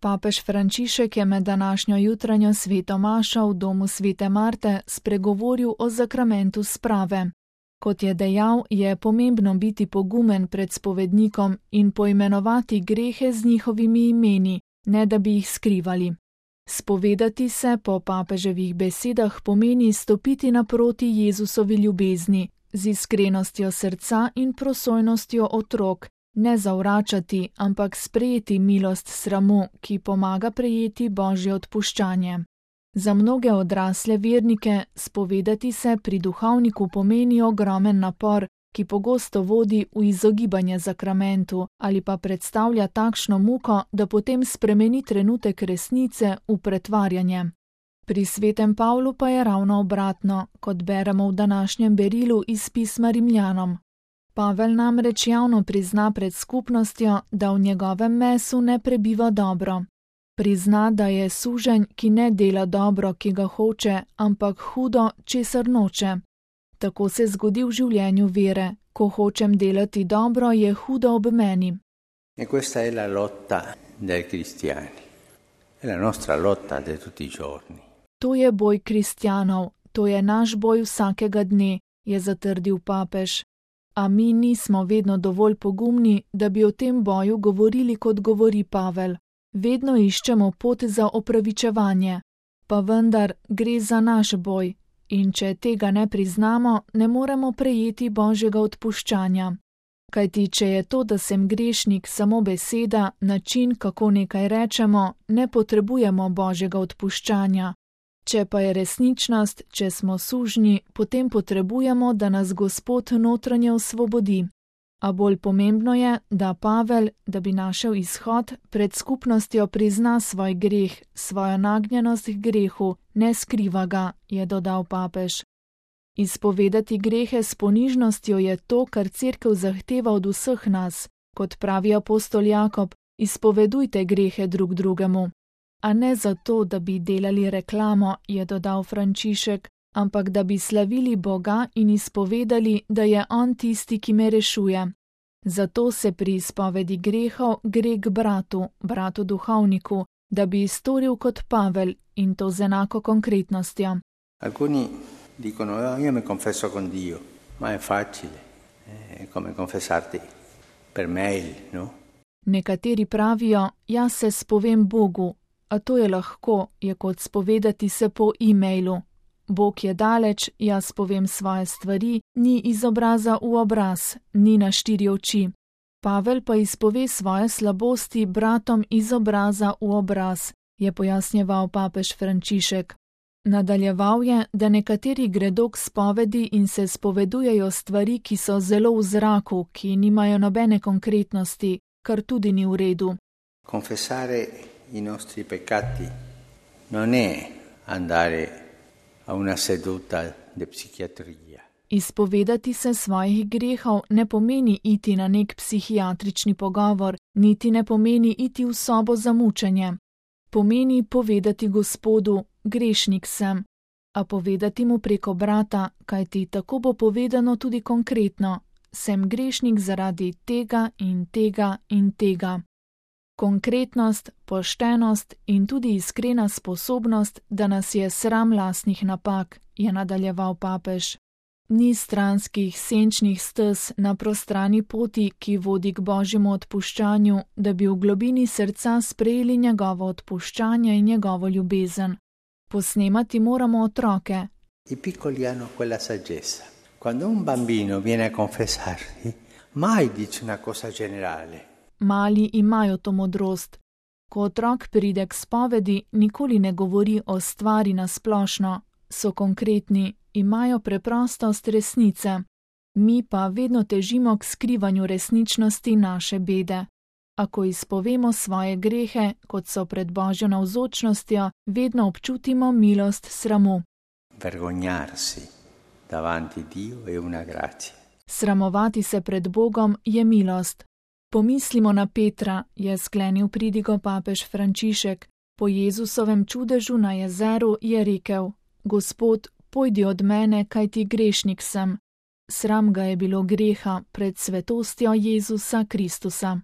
Papež Frančišek je med današnjo jutranjo sveto mašo v domu svete Marte spregovoril o zakramentu sprave. Kot je dejal, je pomembno biti pogumen pred spovednikom in poimenovati grehe z njihovimi imeni, ne da bi jih skrivali. Spovedati se po papeževih besedah pomeni stopiti naproti Jezusovi ljubezni, z iskrenostjo srca in prosojnostjo otrok, ne zavračati, ampak sprejeti milost sramu, ki pomaga prejeti Božje odpuščanje. Za mnoge odrasle vernike spovedati se pri duhovniku pomeni ogromen napor, ki pogosto vodi v izogibanje zakramentu ali pa predstavlja takšno muko, da potem spremeni trenutek resnice v pretvarjanje. Pri svetem Pavlu pa je ravno obratno, kot beremo v današnjem berilu iz pisma Rimljanom. Pavel namreč javno prizna pred skupnostjo, da v njegovem mesu ne prebiva dobro. Prizna, da je suženj, ki ne dela dobro, ki ga hoče, ampak hudo, česar noče. Tako se zgodi v življenju vere. Ko hočem delati dobro, je hudo ob meni. E questa è la lotta dei cristiani. È la nostra lotta di tutti i giorni. To je boj kristjanov, to je naš boj vsakega dne, je zatrdil papež. A mi nismo vedno dovolj pogumni, da bi o tem boju govorili, kot govori Pavel. Vedno iščemo pot za opravičevanje. Pa vendar gre za naš boj. In če tega ne priznamo, ne moremo prejeti Božjega odpuščanja. Kajti, če je to, da sem grešnik, samo beseda, način, kako nekaj rečemo, ne potrebujemo Božjega odpuščanja. Če pa je resničnost, če smo sužnji, potem potrebujemo, da nas Gospod notranje osvobodi. A bolj pomembno je, da Pavel, da bi našel izhod, pred skupnostjo prizna svoj greh, svojo nagnjenost k grehu, ne skriva ga, je dodal papež. Izpovedati grehe s ponižnostjo je to, kar Cerkev zahteva od vseh nas. Kot pravi apostol Jakob, izpovedujte grehe drug drugemu. A ne zato, da bi delali reklamo, je dodal Frančišek, ampak da bi slavili Boga in izpovedali, da je On tisti, ki me rešuje. Zato se pri izpovedi grehov gre k bratu duhovniku, da bi storil kot Pavel in to z enako konkretnostjo. Alcuni dicono, io mi confesso con Dio, ma è facile, è come confessarti per mail, no? Nekateri pravijo, jaz se spovem Bogu, a to je lahko, je kot spovedati se po e-mailu. Bog je daleč, jaz povem svoje stvari, ni iz obraza v obraz, ni na 4 oči. Pavel pa izpove svoje slabosti bratom iz obraza v obraz, je pojasnjeval papež Frančišek. Nadaljeval je, da nekateri gredo k spovedi in se spovedujejo stvari, ki so zelo v zraku, ki nimajo nobene konkretnosti, kar tudi ni v redu. Confessare i nostri peccati non è andare a una seduta di psichiatria. Izpovedati se svojih grehov ne pomeni iti na nek psihiatrični pogovor, niti ne pomeni iti v sobo za mučenje. Pomeni povedati Gospodu, grešnik sem, a povedati mu preko brata, kajti tako bo povedano tudi konkretno, sem grešnik zaradi tega in tega in tega. Konkretnost, poštenost in tudi iskrena sposobnost, da nas je sram lastnih napak, je nadaljeval papež. Ni stranskih, senčnih stez na prostrani poti, ki vodi k Božjemu odpuščanju, da bi v globini srca sprejeli njegovo odpuščanje in njegovo ljubezen. Posnemati moramo otroke. I piccoli hanno quella saggezza. Quando un bambino viene a confessarsi, mai dice una cosa generale. Mali imajo to modrost. Ko otrok pride k spovedi, nikoli ne govori o stvari na splošno, so konkretni, imajo preprostost resnice. Mi pa vedno težimo k skrivanju resničnosti naše bede. Ako izpovemo svoje grehe, kot so pred Božjo navzočnostjo, vedno občutimo milost sramu. Vergognarsi davanti Dio è una grazia. Sramovati se pred Bogom je milost. Pomislimo na Petra, je sklenil pridigo papež Frančišek. Po Jezusovem čudežu na jezeru je rekel: Gospod, pojdi od mene, kajti grešnik sem. Sram ga je bilo greha pred svetostjo Jezusa Kristusa.